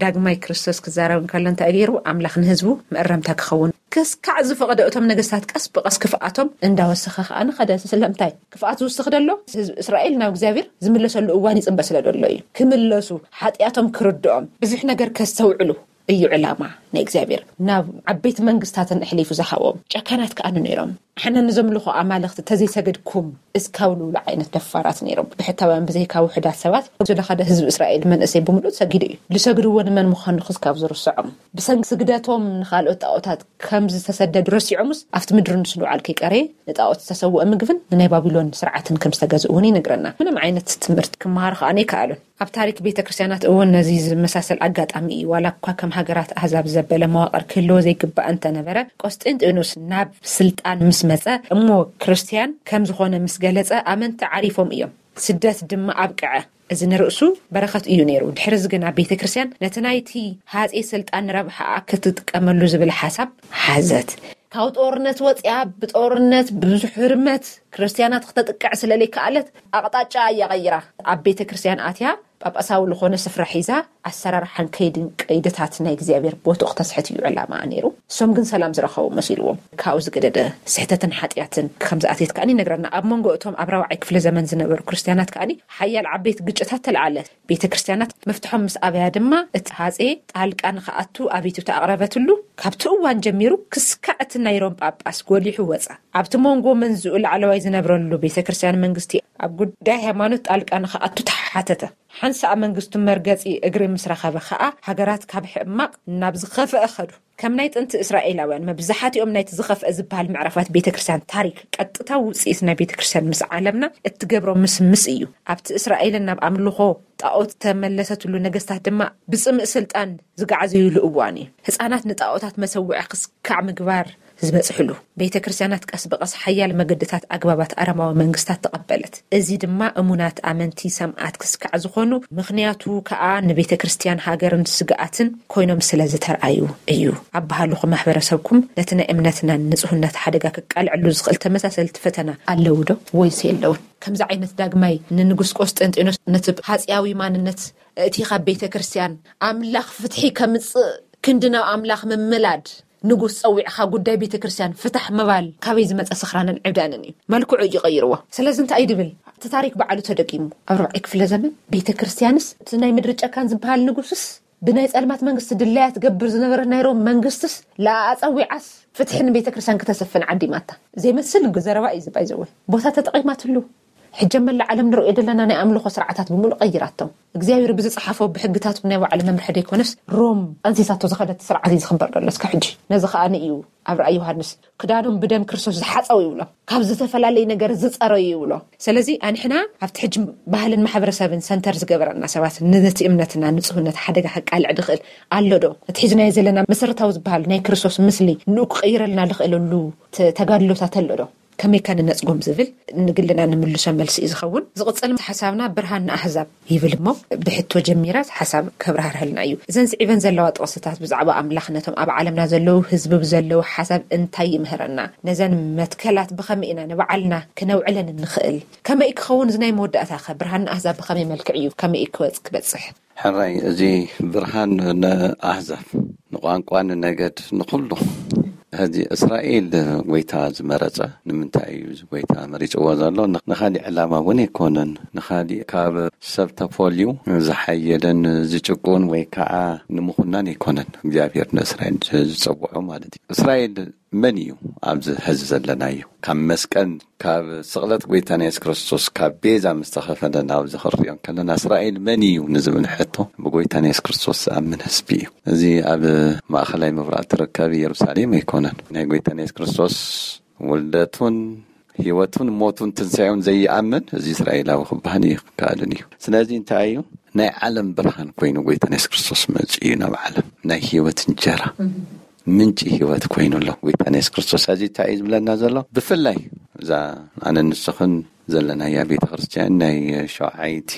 ዳግማይ ክርስቶስ ክዛረብ እንከሎ እንታይ ገይሩ? ኣምላኽ ንህዝቡ መእረምታ ክኸውን ክስካዕ ዝፈቐደ እቶም ነገስታት ቀስ ብቐስ ክፍኣቶም እንዳወሰኸ ከኣ ንኸደ። ስለምንታይ ክፍኣት ዝውስኽ ደሎ? ህዝቢ እስራኤል ናብ እግዚኣብሔር ዝምለሰሉ እዋን ይጽበ ስለ ደሎ እዩ። ክምለሱ፣ ሓጢኣቶም ክርድኦም፣ ብዙሕ ነገር ከስተውዕሉ እዩ ዕላማ ናይ እግዚኣብሔር። ናብ ዓበይቲ መንግስታትን ኣሕሊፉ ዝሃቦም ጨካናት ከኣ ነይሮም። ሓና ንዘምልኾ ኣማልኽቲ ተዘይሰገድኩም እስካብ ልብሉ ዓይነት ደፋራት ነይሮም። ብሕታውያን ብዘይካ ውሑዳት ሰባት ዝለኸደ ህዝቢ እስራኤል መንእሰይ ብምሉእ ሰጊዱ እዩ። ዝሰግድዎ ንመን ምዃኑ ክስካብ ዝርስዖም፣ ብሰንኪ ስግደቶም ንኻልኦት ጣዖታት ከም ዝተሰደዱ ረሲዖምስ ኣብቲ ምድሪ ንስንውዓል ከይቀረየ ንጣዖት ዝተሰውአ ምግብን ንናይ ባቢሎን ስርዓትን ከም ዝተገዝኡ እውን ይነግረና። ምንም ዓይነት ትምህርቲ ክመሃሩ ከኣ ኣይከኣሉን። ኣብ ታሪክ ቤተ ክርስቲያናት እውን ነዚ ዝመሳሰል ኣጋጣሚ እዩ። ዋላ እኳ ከም ሃገራት ኣህዛብ ዘበለ መዋቕር ክህልዎ ዘይግባእ እንተነበረ፣ ቆስጢንጢኖስ ናብ ስልጣን ምስ መጸ እሞ ክርስቲያን ከም ዝኾነ ምስ ገለጸ ኣመንቲ ዓሪፎም እዮም። ስደት ድማ ኣብቅዐ። እዚ ንርእሱ በረኸት እዩ ነይሩ። ድሕሪ እዚ ግን ኣብ ቤተ ክርስቲያን ነቲ ናይቲ ሃጼ ስልጣን ንረብሓኣ ክትጥቀመሉ ዝብል ሓሳብ ሓዘት። ካብ ጦርነት ወፂኣ ብጦርነት ብዙሕ ህርመት ክርስቲያናት ክተጥቅዕ ስለለይከኣለት ኣቕጣጫ እያ ቀይራ ኣብ ቤተ ክርስቲያን ኣትያ ጳጳሳዊ ዝኾነ ስፍራ ሒዛ ኣሰራርሓን ከይድን ቀይድታት ናይ እግዚኣብሔር ቦትኡ ክተስሕት እዩ ዕላማ ነይሩ። እሶም ግን ሰላም ዝረኸቡ መሲልዎም ካብኡ ዝገደደ ስሕተትን ሓጢኣትን ከም ዝኣትየት ከኣኒ ይነግረና። ኣብ መንጎ እቶም ኣብ ራብዓይ ክፍለ ዘመን ዝነበሩ ክርስቲያናት ከኣኒ ሓያል ዓበይቲ ግጭታት ተለዓለ። ቤተ ክርስቲያናት መፍትሖም ምስ ኣበያ ድማ እቲ ሃጼ ጣልቃ ንክኣቱ ኣቤቱታ ኣቕረበትሉ። ካብቲ እዋን ጀሚሩ ክስካዕ እቲ ናይ ሮም ጳጳስ ጎሊሑ ወጸ። ኣብቲ መንጎ መንዝኡ ላዕለዋይ ዝነብረሉ ቤተ ክርስቲያን መንግስቲ ኣብ ጉዳይ ሃይማኖት ጣልቃ ንክኣቱ ተሓተተ። ሓንሳእ መንግስቱ መርገጺ እግሪ ምስ ረኸበ ኸኣ ሃገራት ካብ ሕማቕ ናብ ዝኸፍአ ኸዱ። ከም ናይ ጥንቲ እስራኤላውያን መብዛሕትኦም ናይቲ ዝኸፍአ ዝበሃል ምዕራፋት ቤተ ክርስቲያን ታሪክ ቀጥታዊ ውጽኢት ናይ ቤተ ክርስቲያን ምስ ዓለምና እትገብሮ ምስምስ እዩ። ኣብቲ እስራኤልን ናብ ኣምልኾ ጣዖት ተመለሰትሉ ነገስታት ድማ ብጽምእ ስልጣን ዝጋዓዘዩሉ እዋን እዩ። ህጻናት ንጣዖታት መሰውዒ ክስካዕ ምግባር ዝበጽሕሉ። ቤተ ክርስቲያናት ቀስ ብቐስ ሓያል መገድታት ኣግባባት ኣረማዊ መንግስታት ተቐበለት። እዚ ድማ እሙናት ኣመንቲ ሰማዕት ክስካዕ ዝኾኑ ምኽንያቱ ከኣ ንቤተ ክርስቲያን ሃገርን ስግኣትን ኮይኖም ስለ ዝተርኣዩ እዩ። ኣባህሉኹም ማሕበረሰብኩም ነቲ ናይ እምነትና ንጽህነት ሓደጋ ክቃልዐሉ ዝኽእል ተመሳሰልቲ ፈተና ኣለዉ ዶ ወይስ የለውን? ከምዚ ዓይነት ዳግማይ ንንጉስ ቆስጠንጢኖስ ነቲ ሃጽያዊ ማንነት እቲ ካብ ቤተ ክርስቲያን ኣምላኽ ፍትሒ ከምጽእ ክንዲ ናብ ኣምላኽ ምምላድ ንጉስ ጸዊዕኻ ጉዳይ ቤተ ክርስቲያን ፍታሕ ምባል ካበይ ዝመጸ ስኽራንን ዕብዳንን እዩ? መልክዑ እዩ ቀይርዎ። ስለዚ እንታይ እዩ ድብል? እቲ ታሪክ ባዕሉ ተደጊሙ ኣብ ርብዒ ክፍለ ዘመን ቤተ ክርስቲያንስ እቲ ናይ ምድሪ ጨካን ዝበሃል ንጉስስ ብናይ ጸልማት መንግስቲ ድላያ ትገብር ዝነበረ ናይ ሮም መንግስትስ ለኣጸዊዓስ ፍትሒ ንቤተ ክርስቲያን ክተሰፍን ዓዲማታ ዘይመስል ዘረባ እዩ ዝባይ ዘወ ቦታ ተጠቒማትሉ። ሕጂ መላ ዓለም ንርእዮ ዘለና ናይ ኣምልኾ ስርዓታት ብምሉእ ቀይራቶም እግዚኣብሔር ብዝጸሓፎ ብሕግታት ናይ ባዕሉ መምርሒ ደይኮነስ ሮም ኣንሲሳቶ ዝኸደት ስርዓት እዩ ዝኽበር ዘሎ እስከ ሕጂ። ነዚ ከኣ እዩ ኣብ ራእይ ዮሃንስ ክዳኖም ብደም ክርስቶስ ዝሓጸው ይብሎ፣ ካብ ዝተፈላለየ ነገር ዝጸረዩ ይብሎ። ስለዚ ኣንሕና ኣብቲ ሕጂ ባህልን ማሕበረሰብን ሰንተር ዝገበረና ሰባት ነቲ እምነትና ንጽህነት ሓደጋ ከቃልዕ ድኽእል ኣሎ ዶ? እቲ ሒዝናዮ ዘለና መሰረታዊ ዝበሃል ናይ ክርስቶስ ምስሊ ንኡ ክቕይረልና ዝኽእለሉ ተጋድሎታት ኣሎ ዶ? ከመይ ከ ንነጽጎም ዝብል ንግልና ንምልሶ መልሲ እዩ ዝኸውን። ዝቕጽል ሓሳብና ብርሃን ንኣህዛብ ይብል እሞ ብሕቶ ጀሚራ ሓሳብ ከብራህርሀልና እዩ። እዘን ስዒበን ዘለዋ ጥቕስታት ብዛዕባ ኣምላኽ ነቶም ኣብ ዓለምና ዘለዉ ህዝቢ ብዘለዉ ሓሳብ እንታይ ይምህረና? ነዘን መትከላት ብኸመይ ኢና ንባዕልና ክነውዕለን እንኽእል? ከመይ ክኸውን እዚ ናይ መወዳእታ ከ ብርሃን ንኣህዛብ ብኸመይ መልክዕ እዩ ከመይ ክወጽ ክበጽሕ? ሕራይ እዚ ብርሃን ንኣህዛብ ንቋንቋ ንነገድ ንኹሉ። ሕዚ እስራኤል ጎይታ ዝመረጸ ንምንታይ እዩ እዚ ጎይታ መሪጽዎ ዘሎ? ንኻሊእ ዕላማ እውን ኣይኮነን። ንኻሊእ ካብ ሰብ ተፈልዩ ዝሓየለን ዝጭቁን ወይ ከዓ ንምኹናን ኣይኮነን እግዚኣብሔር ንእስራኤል ዝጸውዖ ማለት እዩ። እስራኤል መን እዩ ኣብዚ ሕዚ ዘለናዮ? ካብ መስቀል ካብ ስቕለት ጎይታና የሱስ ክርስቶስ ካብ ቤዛ ምስ ተኸፈለ ናብዚ ክንሪኦ ከለና እስራኤል መን እዩ ንዝብል ሕቶ ብጎይታና የሱስ ክርስቶስ ዝኣምን ህዝቢ እዩ። እዚ ኣብ ማእኸላይ ምብራቕ ትርከብ ኢየሩሳሌም ኣይኮነን። ናይ ጎይታና የሱስ ክርስቶስ ውልደቱን ህይወቱን ሞቱን ትንሳኤውን ዘይኣምን እዚ እስራኤላዊ ክበሃል እዩ ክከኣልን እዩ። ስለዚ እንታይ እዩ ናይ ዓለም ብርሃን ኮይኑ ጎይታና የሱስ ክርስቶስ መጺኡ እዩ ናብ ዓለም። ናይ ህይወት እንጀራ፣ ምንጪ ህይወት ኮይኑ ኣሎ ጎይታና የሱስ ክርስቶስ። እዚ እንታይ እዩ ዝብለና ዘሎ? ብፍላይ እዛ ኣነ ንስኽን ዘለናያ ቤተ ክርስቲያን፣ ናይ ሸውዓይቲ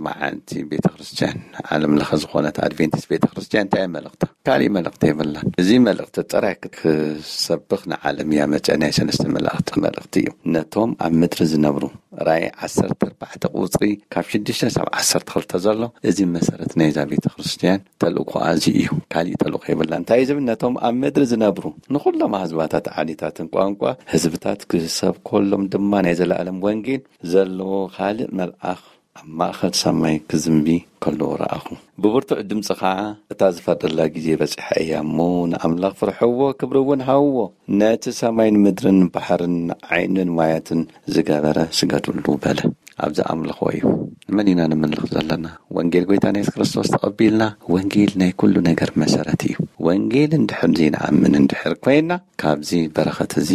መዓልቲ ቤተ ክርስቲያን፣ ዓለም ለኸ ዝኾነት ኣድቬንቲስት ቤተ ክርስቲያን እንታይ እዩ መልእኽታ? ካሊእ መልእኽቲ የብላን። እዚ መልእኽቲ ጥራይ ክትሰብኽ ንዓለም እያ መጸ። ናይ ሰለስተ መላእኽቲ መልእኽቲ እዩ። ነቶም ኣብ ምድሪ ዝነብሩ፣ ራእይ ዓሰርተ ኣርባዕተ ቁጽሪ ካብ ሽዱሽተ ሳብ ዓሰርተ ክልተ ዘሎ፣ እዚ መሰረት ናይዛ ቤተ ክርስቲያን ተልእኮኣ እዚ እዩ። ካሊእ ተልእኮ የብላን። እንታይ እዩ ዝብል? ነቶም ኣብ ምድሪ ዝነብሩ፣ ንኹሎም ኣህዝባታት፣ ዓሌታትን ቋንቋ ህዝብታት ክሰብከሎም ድማ ናይ ዘለኣለም ወንጌል ዘለዎ ካልእ መልኣኽ ኣብ ማእከል ሰማይ ክዝንቢ ከሎ ረኣኹ። ብብርቱዕ ድምጺ ኸዓ፣ "እታ ዝፈርደላ ግዜ በጺሓ እያ እሞ፣ ንኣምላኽ ፍርሕዎ፣ ክብሪ እውን ሃብዎ። ነቲ ሰማይን ምድርን ባሕርን ዓይንን ማያትን ዝገበረ ስገዱሉ" በለ። ኣብዚ ኣምልኾ እዩ። ንመን ኢና ንምልኽ ዘለና? ወንጌል ጎይታና የሱስ ክርስቶስ ተቐቢልና፣ ወንጌል ናይ ኩሉ ነገር መሰረት እዩ። ወንጌል እንድሕር ዘይንኣምን እንድሕር ኮይና፣ ካብዚ በረኸት እዚ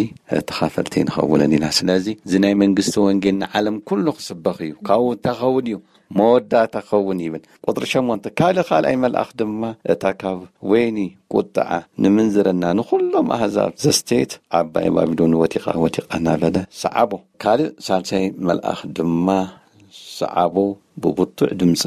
ተኻፈልቲ ንኸውንን ኢና። ስለዚ እዚ ናይ መንግስቲ ወንጌል ንዓለም ኩሉ ክስበኽ እዩ። ካብኡ እንታይ ክኸውን እዩ? መወዳእታ ክኸውን ይብል። ቁጽሪ ሸሞንተ፣ ካልእ ካልኣይ መልኣኽ ድማ እታ ካብ ወይኒ ቁጥዓ ንምንዝርና ንኹሎም ኣህዛብ ዘስተየት ዓባይ ባቢሎን ወዲቓ፣ ወዲቓ እናበለ ሰዓቦ። ካልእ ሳልሳይ መልኣኽ ድማ ሰዓቦ ብብርቱዕ ድምፂ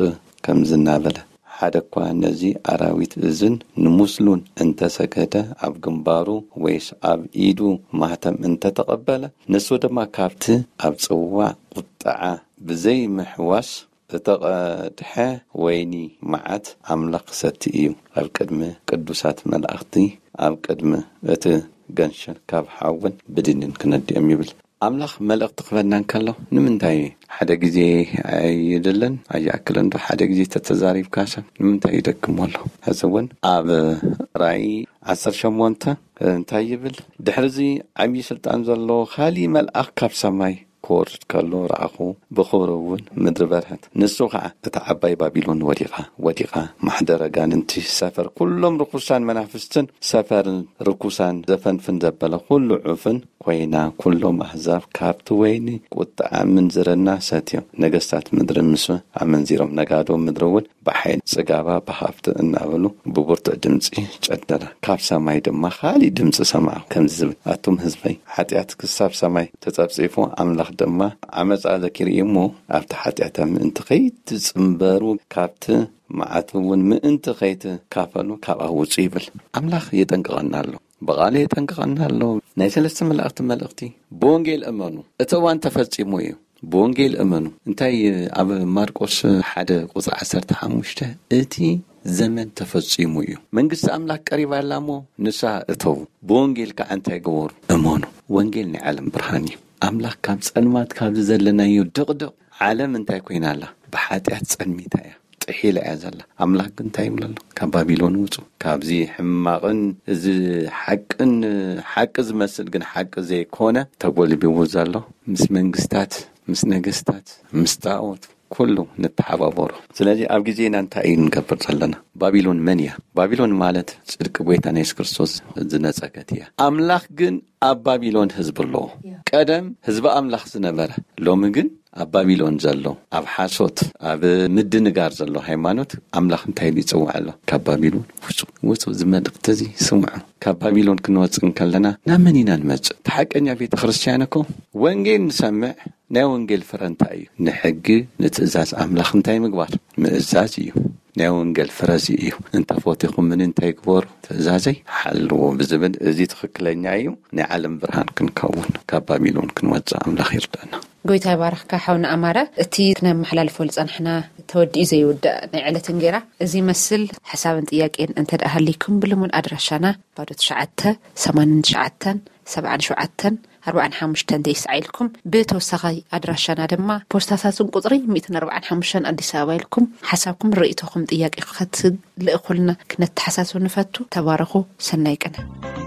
ከምዚ እናበለ፣ ሓደ እኳ ነዚ ኣራዊት እዝን ንምስሉን እንተሰገደ፣ ኣብ ግንባሩ ወይስ ኣብ ኢዱ ማህተም እንተተቐበለ፣ ንሱ ድማ ካብቲ ኣብ ጽዋዕ ቁጥዓ ብዘይ ምሕዋስ እተቐድሐ ወይኒ መዓት ኣምላኽ ክሰቲ እዩ። ኣብ ቅድሚ ቅዱሳት መላእኽቲ፣ ኣብ ቅድሚ እቲ ገንሸል ካብ ሓውን ብድንን ክነድዮም ይብል። ኣምላኽ መልእኽቲ ክበና እንከሎ ንምንታይ ሓደ ግዜ ኣይደልን? ኣይኣክልን ዶ ሓደ ግዜ ተተዛሪብካ ሰብ ንምንታይ ይደግሞ ኣሎ? ሕዚ እውን ኣብ ራእይ ዓሰርተ ሸሞንተ እንታይ ይብል? ድሕርዚ ዓብዪ ስልጣን ዘለዎ ካሊእ መልኣኽ ካብ ሰማይ ክወርድ ከሎ ረኣኹ፣ ብኽብሩ እውን ምድሪ በርሀት። ንሱ ኸዓ እታ ዓባይ ባቢሎን ወዲቓ፣ ወዲቓ፣ ማሕደር ኣጋንንቲ፣ ሰፈር ኩሎም ርኩሳን መናፍስትን ሰፈርን ርኩሳን ዘፈንፍን ዘበለ ኩሉ ዑፍን ኮይና፣ ኩሎም ኣህዛብ ካብቲ ወይኒ ቁጥዓ ምንዝርና ሰትዮም፣ ነገስታት ምድርን ምስ ኣመንዚሮም፣ ነጋዶ ምድሪ እውን ብሓይሊ ጽጋባ ብሃብቲ እናበሉ ብብርቱዕ ድምጺ ጨደረ። ካብ ሰማይ ድማ ካሊእ ድምጺ ሰማዕኩ፣ ከምዚ ዝብል፣ ኣቱም ህዝበይ፣ ሓጢኣት ክሳብ ሰማይ ተጸብጺፉ፣ ኣምላኽ ድማ ዓመጻ ዘኪሩ እዩ እሞ፣ ኣብቲ ሓጢኣታ ምእንቲ ከይትጽንበሩ፣ ካብቲ መዓት እውን ምእንቲ ከይትካፈሉ ካብኣ ውጹ ይብል። ኣምላኽ የጠንቅቐና ኣሎ። ብቓሉ የጠንቅቐና ኣሎ። ናይ ሰለስተ መላእኽቲ መልእኽቲ፣ ብወንጌል እመኑ፣ እቲ እዋን ተፈጺሙ እዩ። ብወንጌል እመኑ። እንታይ ኣብ ማርቆስ ሓደ ቁጽሪ ዓሰርተ ሓሙሽተ፣ እቲ ዘመን ተፈጺሙ እዩ፣ መንግስቲ ኣምላኽ ቀሪባ ኣላ እሞ ንስሓ እተዉ፣ ብወንጌል ከዓ እንታይ ግበሩ? እመኑ። ወንጌል ናይ ዓለም ብርሃን እዩ። ኣምላኽ ካብ ጸልማት፣ ካብዚ ዘለናዮ ድቕድቕ ዓለም እንታይ ኮይና ኣላ? ብሓጢኣት ጸልሚታ እያ፣ ጥሒላ እያ ዘላ። ኣምላኽ ግን እንታይ ይብሎ ኣሎ? ካብ ባቢሎን ውጹ፣ ካብዚ ሕማቕን እዚ ሓቅን፣ ሓቂ ዝመስል ግን ሓቂ ዘይኮነ ተጎልቢቡ ዘሎ፣ ምስ መንግስታት፣ ምስ ነገስታት፣ ምስ ጣዖት ኩሉ ንተሓባበሮ። ስለዚ ኣብ ግዜና እንታይ እዩ ንገብር ዘለና? ባቢሎን መን እያ? ባቢሎን ማለት ጽድቂ ጎይታና የሱስ ክርስቶስ ዝነጸገት እያ። ኣምላኽ ግን ኣብ ባቢሎን ህዝቢ ኣለዎ። ቀደም ህዝቢ ኣምላኽ ዝነበረ፣ ሎሚ ግን ኣብ ባቢሎን ዘሎ፣ ኣብ ሓሶት፣ ኣብ ምድንጋር ዘሎ ሃይማኖት ኣምላኽ እንታይ ኢሉ ይጽውዕ ኣሎ? ካብ ባቢሎን ውጹ፣ ውጹ፣ እዚ መልእኽቲ እዚ ስምዑ። ካብ ባቢሎን ክንወጽእ እንከለና ናብ መን ኢና ንመጽእ? እቲ ሓቀኛ ቤተ ክርስቲያን እኮ ወንጌል ንሰምዕ፣ ናይ ወንጌል ፍረ እንታይ እዩ? ንሕጊ፣ ንትእዛዝ ኣምላኽ እንታይ ምግባር? ምእዛዝ እዩ። ናይ ወንጌል ፍረ እዚ እዩ። "እንተ ፈቲኹምኒ እንታይ ግበሩ? ትእዛዘይ ሓልዉ" ብዝብል፣ እዚ ትኽክለኛ እዩ። ናይ ዓለም ብርሃን ክንከውን፣ ካብ ባቢሎን ክንወጽእ ኣምላኽ ይርዳና። ጎይታ ይባርኽካ ሓውና ኣማረ። እቲ ክነመሓላልፎ ዝጸናሕና ተወዲኡ ዘይውዳእ ናይ ዕለት እንጌራ እዚ ይመስል። ሓሳብን ጥያቄን እንተ ደኣ ሃልይኩም፣ ብልሙድ ኣድራሻና ባዶ ትሽዓተ፣ ሰማንያን ትሽዓተን፣ ሰብዓን ሸውዓተን፣ ኣርባዓን ሓሙሽተን ተስዓ ኢልኩም፣ ብተወሳኺ ኣድራሻና ድማ ፖስታ ሳጥን ቁጽሪ ሚእትን ኣርባዓን ሓሙሽተን ኣዲስ ኣበባ ኢልኩም ሓሳብኩም፣ ርእይቶኹም፣ ጥያቄ ክትልእኹልና ክነተሓሳስብ ንፈቱ። ተባረኹ። ሰናይ ቅነ።